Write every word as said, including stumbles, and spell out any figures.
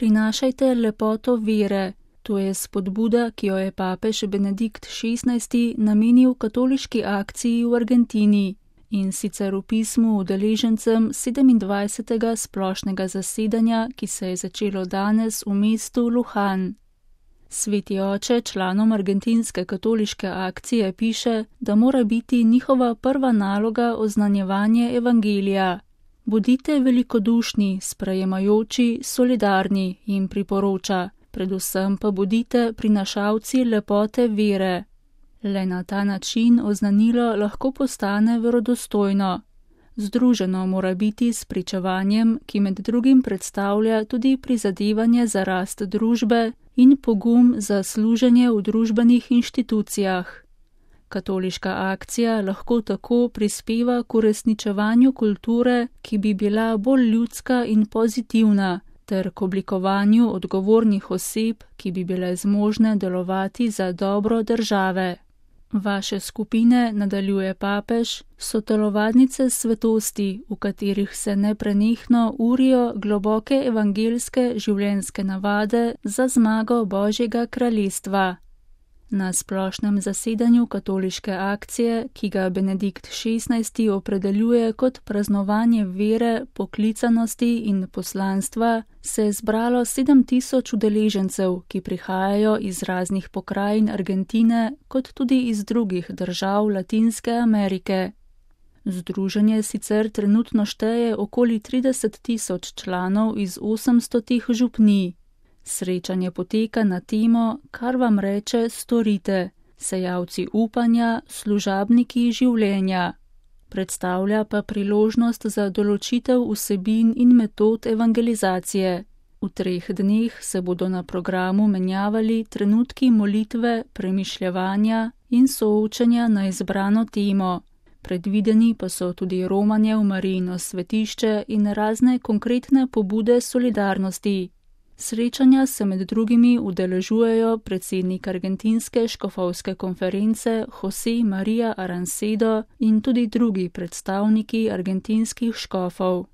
Prinašajte lepoto vere. To je spodbuda, ki jo je papež Benedikt šestnajsti namenil katoliški akciji v Argentini, in sicer v pismu udeležencem sedemindvajsetega splošnega zasedanja, ki se je začelo danes v mestu Lujan. Sveti oče članom argentinske katoliške akcije piše, da mora biti njihova prva naloga oznanjevanje evangelija. Bodite velikodušni, sprejemajoči, solidarni, jim priporoča, predvsem pa bodite prinašalci lepote vere. Le na ta način oznanilo lahko postane verodostojno. Združeno mora biti s pričevanjem, ki med drugim predstavlja tudi prizadevanje za rast družbe in pogum za služenje v družbenih inštitucijah. Katoliška akcija lahko tako prispeva k uresničevanju kulture, ki bi bila bolj ljudska in pozitivna, ter k oblikovanju odgovornih oseb, ki bi bile zmožne delovati za dobro države. Vaše skupine, nadaljuje papež, so telovadnice svetosti, v katerih se neprenehno urijo globoke evangelske življenjske navade za zmago Božjega kraljestva. Na splošnem zasedanju katoliške akcije, ki ga Benedikt šestnajsti opredeljuje kot praznovanje vere, poklicanosti in poslanstva, se je zbralo sedem tisoč udeležencev, ki prihajajo iz raznih pokrajin Argentine, kot tudi iz drugih držav Latinske Amerike. Združenje sicer trenutno šteje okoli trideset tisoč članov iz osemstotih župnij. Srečanje poteka na temo, kar vam reče storite, sejalci upanja, služabniki življenja. Predstavlja pa priložnost za določitev vsebin in metod evangelizacije. V treh dneh se bodo na programu menjavali trenutki molitve, premišljevanja in soočenja na izbrano temo. Predvideni pa so tudi romanje v Marijino svetišče in razne konkretne pobude solidarnosti. Srečanja se med drugimi udeležujejo predsednik argentinske škofovske konference José María Arancedo in tudi drugi predstavniki argentinskih škofov.